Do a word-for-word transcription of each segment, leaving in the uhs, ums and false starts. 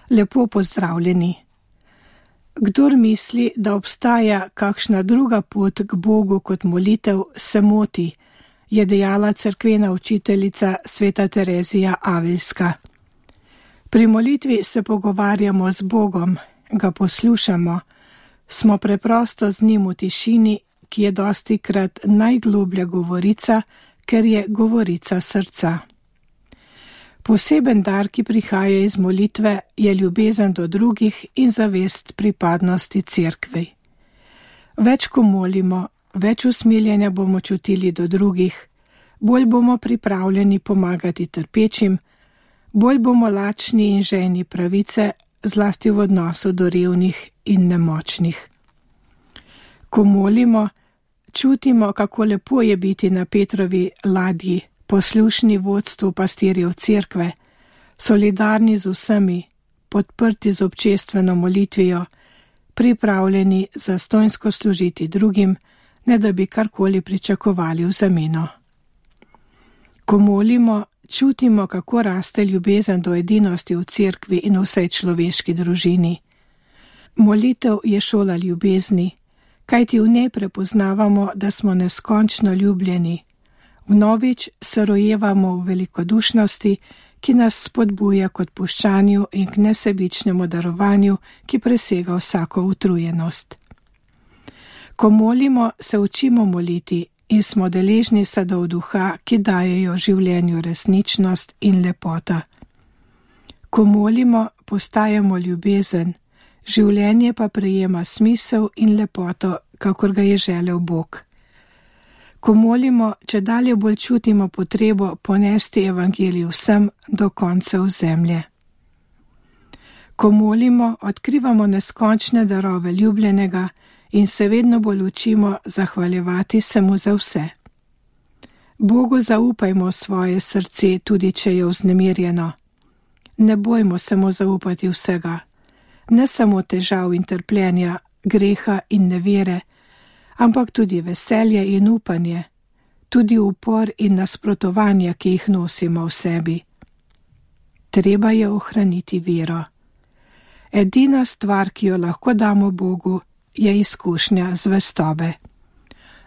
Lepo pozdravljeni. Kdor misli, da obstaja kakšna druga pot k Bogu kot molitev, se moti, je dejala cerkvena učiteljica sveta Terezija Avilska. Pri molitvi se pogovarjamo z Bogom, ga poslušamo, smo preprosto z njim v tišini, ki je dostikrat najgloblja govorica, ker je govorica srca. Poseben dar, ki prihaja iz molitve, je ljubezen do drugih in zavest pripadnosti cerkvi. Več ko molimo, več usmiljenja bomo čutili do drugih, bolj bomo pripravljeni pomagati trpečim, bolj bomo lačni in žejni pravice, zlasti v odnosu do revnih in nemočnih. Ko molimo, čutimo, kako lepo je biti na Petrovi ladji, poslušni vodstvu pastirjev cerkve, solidarni z vsemi, podprti z občestveno molitvijo, pripravljeni zastonjsko služiti drugim, ne da bi karkoli pričakovali v zameno. Ko molimo, čutimo, kako raste ljubezen do edinosti v cerkvi in vsej človeški družini. Molitev je šola ljubezni, kajti v njej prepoznavamo, da smo neskončno ljubljeni. Vnovič se rojevamo v velikodušnosti, ki nas spodbuja k odpuščanju in k nesebičnemu darovanju, ki presega vsako utrujenost. Ko molimo, se učimo moliti in smo deležni sadov duha, ki dajejo življenju resničnost in lepota. Ko molimo, postajamo ljubezen, življenje pa prejema smisel in lepoto, kakor ga je želel Bog. Ko molimo, čedalje bolj čutimo potrebo ponesti evangelij vsem do koncev zemlje. Ko molimo, odkrivamo neskončne darove ljubljenega in se vedno bolj učimo zahvaljevati se mu za vse. Bogu zaupajmo svoje srce, tudi če je vznemirjeno. Ne bojmo se mu zaupati vsega, ne samo težav in trpljenja, greha in nevere, ampak tudi veselje in upanje, tudi upor in nasprotovanja, ki jih nosimo v sebi. Treba je ohraniti vero. Edina stvar, ki jo lahko damo Bogu, je izkušnja zvestobe.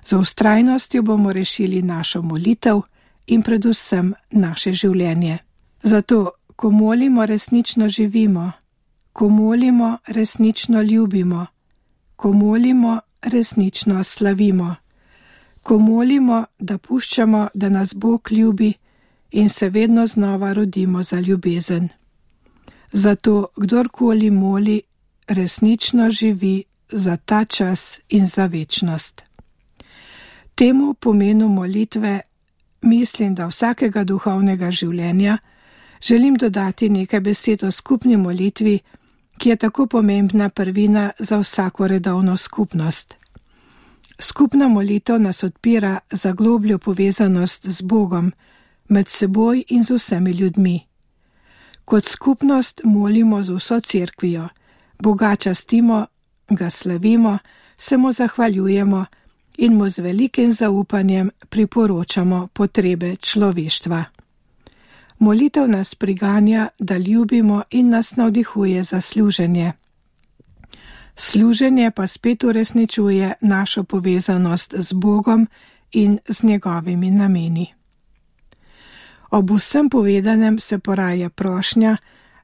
Z vztrajnostjo bomo rešili našo molitev in predvsem naše življenje. Zato, ko molimo, resnično živimo, ko molimo, resnično ljubimo, ko molimo, resnično slavimo, ko molimo, da puščamo, da nas Bog ljubi in se vedno znova rodimo za ljubezen. Zato, kdorkoli moli, resnično živi za ta čas in za večnost. Temu pomenu molitve, mislim, da vsakega duhovnega življenja, želim dodati nekaj besed o skupni molitvi, ki je tako pomembna prvina za vsako redovno skupnost. Skupna molitev nas odpira za globljo povezanost z Bogom, med seboj in z vsemi ljudmi. Kot skupnost molimo z vso cerkvijo, Boga častimo, ga slavimo, se mu zahvaljujemo in mu z velikim zaupanjem priporočamo potrebe človeštva. Molitev nas priganja, da ljubimo in nas navdihuje za služenje. Služenje pa spet uresničuje našo povezanost z Bogom in z njegovimi nameni. Ob vsem povedanem se poraja prošnja,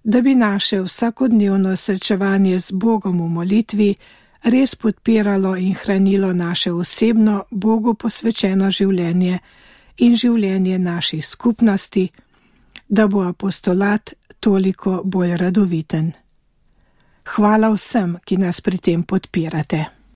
da bi naše vsakodnevno srečevanje z Bogom v molitvi res podpiralo in hranilo naše osebno Bogu posvečeno življenje in življenje naših skupnosti, da bo apostolat toliko bolj radoviten. Hvala vsem, ki nas pri tem podpirate.